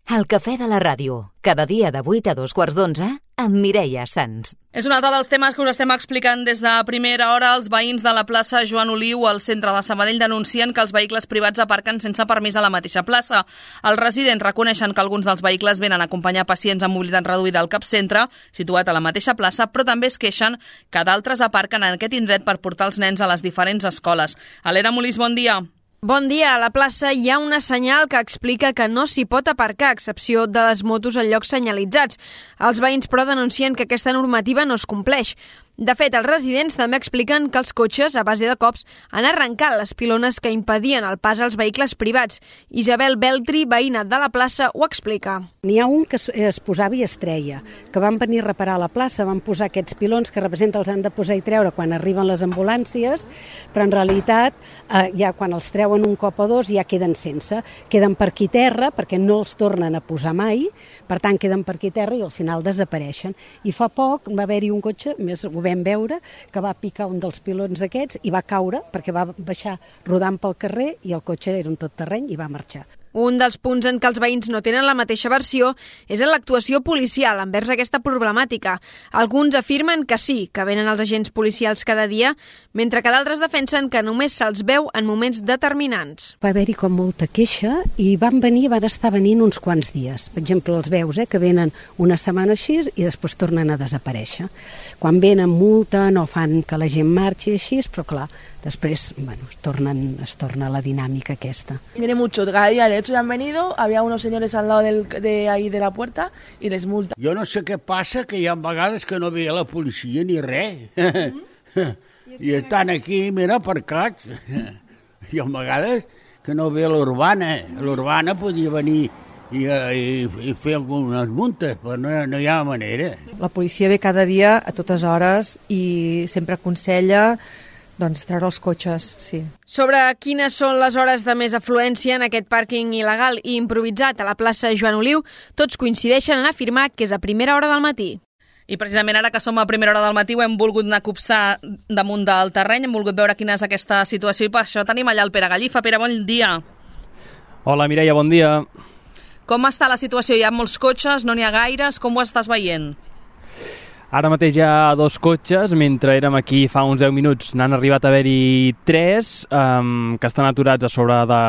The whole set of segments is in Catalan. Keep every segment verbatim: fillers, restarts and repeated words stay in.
El cafè de la ràdio, cada dia de vuit a dos quarts d'onze, amb Mireia Sans. És un altre dels temes que us estem explicant des de primera hora. Els veïns de la plaça Joan Oliu, al centre de Sabadell, denuncien que els vehicles privats aparquen sense permís a la mateixa plaça. Els residents reconeixen que alguns dels vehicles venen a acompanyar pacients amb mobilitat reduïda al capcentre, situat a la mateixa plaça, però també es queixen que d'altres aparquen en aquest indret per portar els nens a les diferents escoles. Alera Molís, bon dia. Bon dia. A la plaça hi ha una senyal que explica que no s'hi pot aparcar, a excepció de les motos en llocs senyalitzats. Els veïns, però, denuncien que aquesta normativa no es compleix. De fet, els residents també expliquen que els cotxes, a base de cops, han arrencat les pilones que impedien el pas als vehicles privats. Isabel Beltri, veïna de la plaça, ho explica. N'hi ha un que es, es posava i es treia, que van venir a reparar a la plaça, van posar aquests pilons que representen els han de posar i treure quan arriben les ambulàncies, però en realitat eh, ja quan els treuen un cop o dos ja queden sense. Queden per aquí terra perquè no els tornen a posar mai, per tant queden per aquí terra i al final desapareixen. I fa poc va haver-hi un cotxe, més ho vam veure, que va picar un dels pilons aquests i va caure perquè va baixar rodant pel carrer i el cotxe era un tot terreny i va marxar. Un dels punts en què els veïns no tenen la mateixa versió és en l'actuació policial envers aquesta problemàtica. Alguns afirmen que sí, que venen els agents policials cada dia, mentre que d'altres defensen que només se'ls veu en moments determinants. Va haver-hi com molta queixa i van venir, van estar venint uns quants dies. Per exemple, els veus, eh, que venen una setmana així i després tornen a desaparèixer. Quan venen multa no fan que la gent marxi així, però clar, después, bueno, es, tornan, es torna la dinámica aquesta. Viene mucho, cada día, de hecho ya han venido, había unos señores al lado del, de ahí de la puerta y les multa. Jo no sé què passa, que hi ha vegades que no veia la policia ni res. Mm-hmm. I estan aquí, mira, aparcats. Hi ha vegades que no ve l'urbana. L'urbana podia venir i, i, i fer algunes multes, però no, no hi ha manera. La policia ve cada dia a totes hores i sempre aconsella doncs treure els cotxes, sí. Sobre quines són les hores de més afluència en aquest pàrquing il·legal i improvisat a la plaça Joan Oliu, tots coincideixen en afirmar que és a primera hora del matí. I precisament ara que som a primera hora del matí ho hem volgut anar a copsar damunt del terreny, hem volgut veure quina és aquesta situació i per això tenim allà el Pere Gallifa. Pere, bon dia. Hola, Mireia, bon dia. Com està la situació? Hi ha molts cotxes, no n'hi ha gaires, com ho estàs veient? Ara mateix hi ha dos cotxes, mentre érem aquí fa uns deu minuts n'han arribat a haver-hi tres um, que estan aturats a sobre de,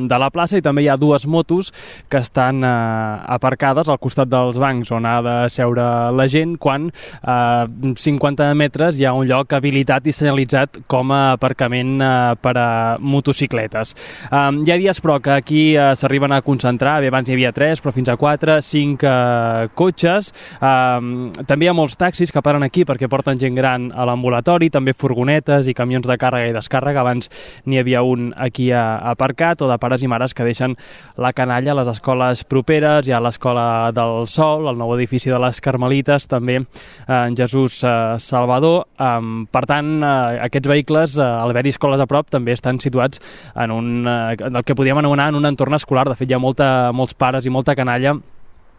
de la plaça i també hi ha dues motos que estan uh, aparcades al costat dels bancs on ha de seure la gent quan a uh, cinquanta metres hi ha un lloc habilitat i senyalitzat com a aparcament uh, per a motocicletes. Um, hi ha dies però que aquí uh, s'arriben a concentrar, bé, abans hi havia tres però fins a quatre, cinc uh, cotxes, um, també hi ha molts taxis taxis que paren aquí perquè porten gent gran a l'ambulatori, també furgonetes i camions de càrrega i descàrrega. Abans n'hi havia un aquí aparcat, o de pares i mares que deixen la canalla a les escoles properes. Hi ha l'Escola del Sol, el nou edifici de les Carmelites, també en Jesús Salvador. Per tant, aquests vehicles, al haver-hi escoles a prop, també estan situats en un, el que podríem anomenar en un entorn escolar. De fet, hi ha molta, molts pares i molta canalla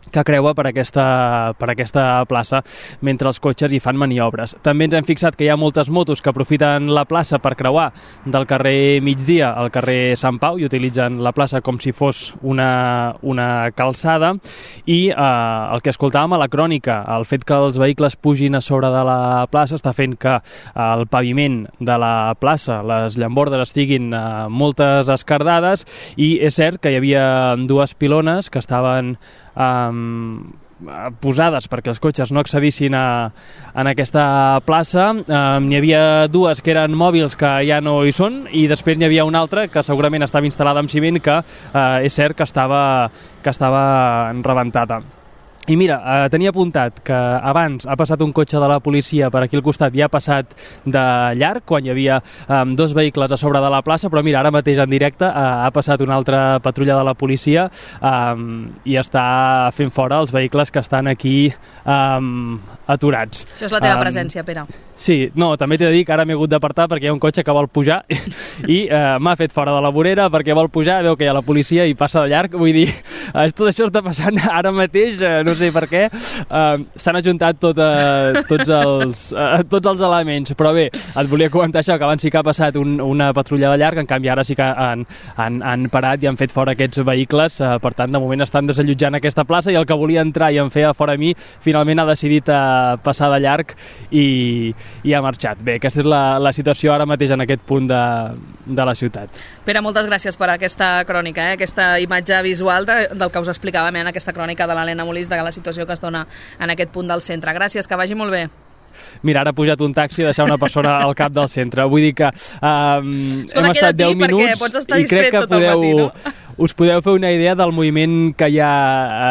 que creua per aquesta, per aquesta plaça mentre els cotxes hi fan maniobres. També ens hem fixat que hi ha moltes motos que aprofiten la plaça per creuar del carrer Migdia al carrer Sant Pau i utilitzen la plaça com si fos una, una calçada i eh, el que escoltàvem a la crònica, el fet que els vehicles pugin a sobre de la plaça està fent que el paviment de la plaça, les llambordes estiguin eh, moltes escardades i és cert que hi havia dues pilones que estaven Um, posades perquè els cotxes no accedissin a, en aquesta plaça. Um, n'hi havia dues que eren mòbils que ja no hi són i després n'hi havia una altra que segurament estava instal·lada amb ciment que uh, és cert que estava, que estava rebentada. I mira, eh, tenia apuntat que abans ha passat un cotxe de la policia per aquí al costat i ha passat de llarg quan hi havia eh, dos vehicles a sobre de la plaça, però mira, ara mateix en directe eh, ha passat una altra patrulla de la policia eh, i està fent fora els vehicles que estan aquí eh, aturats. Això és la teva um, presència, Pere. Sí, no, també t'he de dir que ara m'he hagut d'apartar perquè hi ha un cotxe que vol pujar i eh, m'ha fet fora de la vorera perquè vol pujar, veu que hi ha la policia i passa de llarg, vull dir, tot això està passant ara mateix, eh, no sé sé per què, uh, s'han ajuntat tot, uh, tots, els, uh, tots els elements, però bé, et volia comentar això, que abans sí que ha passat un, una patrulla de llarg, en canvi ara sí que han, han, han parat i han fet fora aquests vehicles, uh, per tant, de moment estan desallotjant aquesta plaça i el que volia entrar i en feia fora a mi, finalment ha decidit uh, passar de llarg i, i ha marxat. Bé, aquesta és la, la situació ara mateix en aquest punt de, de la ciutat. Pere, moltes gràcies per aquesta crònica, eh? Aquesta imatge visual de, del que us explicàvem en aquesta crònica de l'Helena Molís, de la situació que es dona en aquest punt del centre. Gràcies, que vagi molt bé. Mira, ara ha pujat un taxi i deixar una persona al cap del centre. Vull dir que um, Escolta, hem estat deu minuts i crec que podeu, matí, no? us podeu fer una idea del moviment que hi ha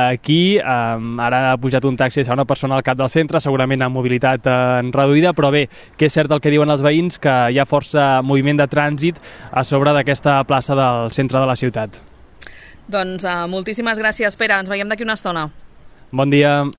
aquí. Um, ara ha pujat un taxi i deixar una persona al cap del centre, segurament amb mobilitat uh, reduïda, però bé, que és cert el que diuen els veïns, que hi ha força moviment de trànsit a sobre d'aquesta plaça del centre de la ciutat. Doncs uh, moltíssimes gràcies, Pere. Ens veiem d'aquí una estona. Bon dia.